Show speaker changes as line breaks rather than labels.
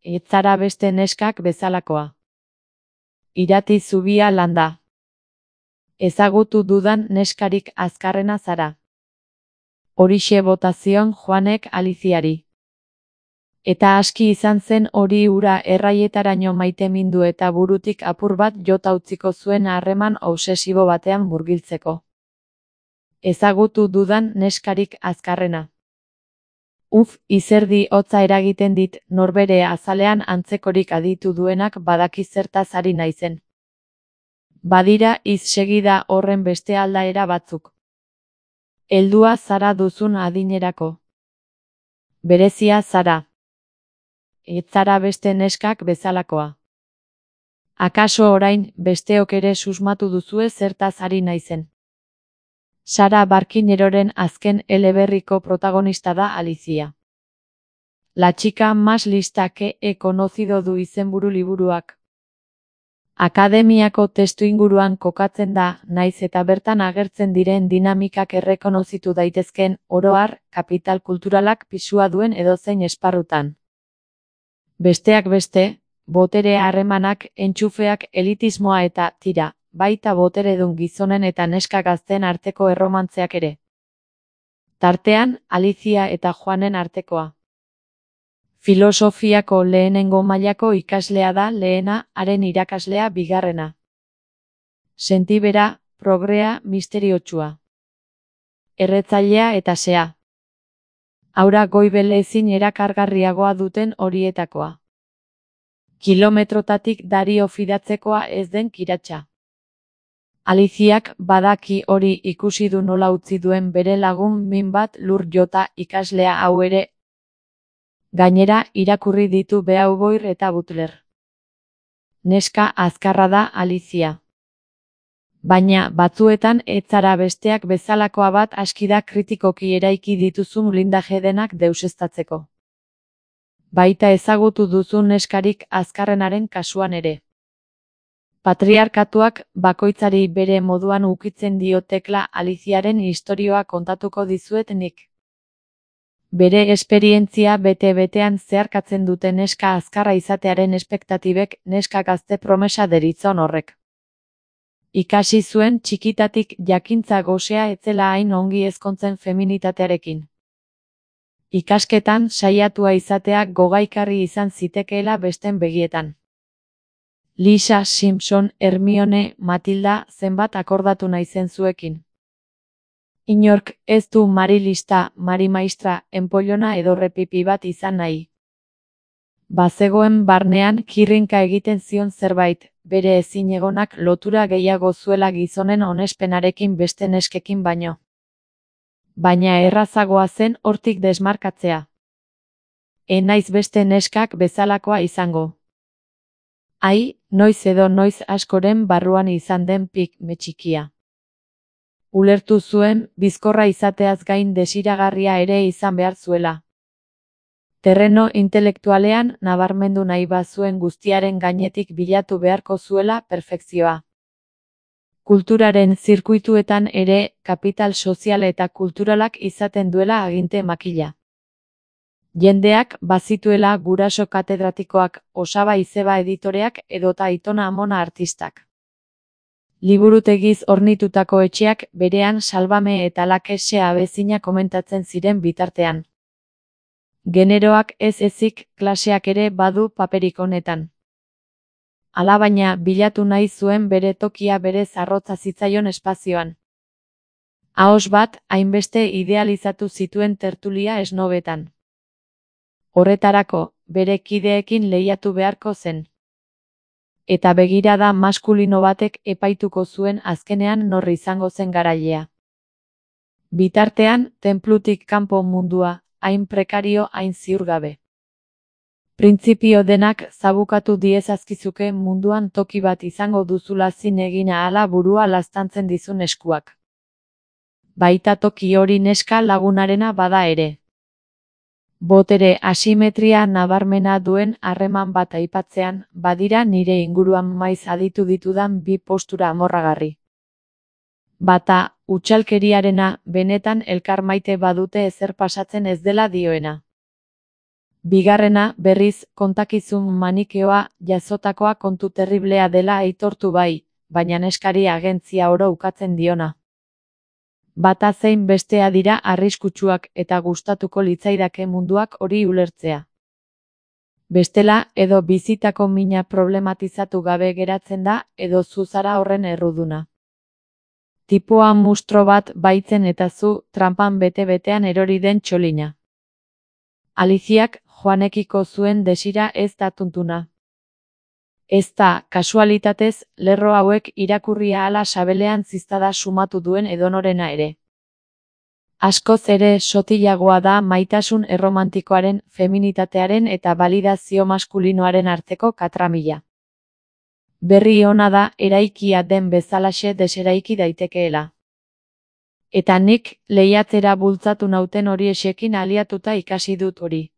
Ez zara beste neskak bezalakoa. Irati zubia landa. Ezagutu dudan neskarik azkarrena zara. Horixe bota zion Juanek Aliziari. Eta aski izan zen hori ura erraietaraino maitemindu eta burutik apur bat jota utziko zuen harreman obsesibo batean murgiltzeko. Ezagutu dudan neskarik azkarrena. Izerdi hotza eragiten dit, norbere azalean antzekorik aditu duenak badaki zertaz ari naizen. Badira segida horren beste aldaera batzuk. Heldua zara duzun adinerako. Berezia zara. Ez zara beste neskak bezalakoa. Akaso orain besteok ere susmatu duzue zertaz ari naizen. Sara Barquineroren azken eleberriko protagonista da Alicia. La chica más lista que he conocido du izenburu liburuak. Akademiako testuinguruan kokatzen da, naiz eta bertan agertzen diren dinamikak errekonozitu daitezken, oro har, kapital kulturalak pisua duen edozein esparrutan. Besteak beste, botere harremanak, entxufeak, elitismoa eta, tira, baita boteredun gizonen eta neska gazteen arteko erromantzeak ere. Tartean, Alicia eta Juanen artekoa. Filosofiako lehenengo mailako ikaslea da lehena, haren irakaslea bigarrena. Sentibera, progrea, misteriotsua. Erretzailea eta sea. Aura goibel ezin erakargarriagoa duten horietakoa. Kilometrotatik dario fidatzekoa ez den kiratsa. Aliziak badaki hori ikusi du nola utzi duen bere lagun min bat lur jota ikaslea hau ere. Gainera, irakurri ditu Beauvoir eta Butler. Neska azkarra da Alicia. Baina, batzuetan ez zara besteak bezalakoa bat aski da kritikoki eraiki dituzun blindaje denak deuseztatzeko. Baita ezagutu duzun neskarik azkarrenaren kasuan ere. Patriarkatuak bakoitzari bere moduan ukitzen dio tekla Aliziaren istorioa kontatuko dizuet nik. Bere esperientzia bete-betean zeharkatzen dute neska azkarra izatearen espektatibek neska gazte promesa deritzon horrek. Ikasi zuen txikitatik jakintza gosea etzela hain ongi ezkontzen feminitatearekin. Ikasketan saiatua izatea gogaikarri izan zitekeela besten begietan. Lisa, Simpson, Hermione, Matilda zenbat akordatu naizen zuekin. Inork ez du Mari lista, Mari maistra, enpollona edo repipi bat izan nahi. Bazegoen barnean kirrinka egiten zion zerbait, bere ezinegonak lotura gehiago zuela gizonen onespenarekin beste neskekin baino. Baina errazagoa zen hortik desmarkatzea. Naiz beste neskak bezalakoa izango. Noiz edo noiz askoren barruan izan den pikme txikia. Ulertu zuen, bizkorra izateaz gain desiragarria ere izan behar zuela. Terreno intelektualean nabarmendu nahi bazuen guztiaren gainetik bilatu beharko zuela perfekzioa. Kulturaren zirkuituetan ere, kapital sozial eta kulturalak izaten duela aginte makila. Jendeak bazituela guraso katedratikoak, Osaba Izeba editoreak edota Aitona Amona artistak. Liburutegiz hornitutako etxeak berean Salvame eta Lakese abezina komentatzen ziren bitartean. Generoak ez ezik klaseak ere badu paperik honetan. Alabaina bilatu nahi zuen bere tokia berez arrotza zitzaion espazioan. Ahoz bat, hainbeste idealizatu zituen tertulia esnobetan. Horretarako, bere kideekin lehiatu beharko zen. Eta begirada maskulino batek epaituko zuen azkenean nor izango zen garailea. Bitartean, tenplutik kanpo mundua, hain prekario hain ziurgabe. Printzipio denak zabukatu diezazkizuke munduan toki bat izango duzula zin egin ahala burua laztantzen dizun eskuak. Baita toki hori neska lagunarena bada ere. Botere asimetria nabarmena duen harreman bat aipatzean, badira nire inguruan maiz aditu ditudan bi postura amorragarri. Bata, utxalkeriarena, benetan elkar maite badute ezer pasatzen ez dela dioena. Bigarrena, berriz, kontakizun manikeoa jazotakoa kontu terriblea dela aitortu bai, baina neskari agentzia oro ukatzen diona. Bata zein bestea dira arriskutsuak eta gustatuko litzaidake munduak hori ulertzea. Bestela, edo bizitako mina problematizatu gabe geratzen da, edo zu zara horren erruduna. Tipoa mustro bat baitzen eta zu tranpan bete-betean erori den txolina. Aliziak Joanekiko zuen desira ez da tuntuna. Ez da, kasualitatez, lerro hauek irakurri ahala sabelean ziztada sumatu duen edonorena ere. Askoz ere sotilagoa da maitasun erromantikoaren, feminitatearen eta validazio maskulinoaren arteko katramila. Berri ona da eraikia den bezalaxe deseraiki daitekeela. Eta nik lehiatzera bultzatu nauten horiekin aliatuta ikasi dut hori.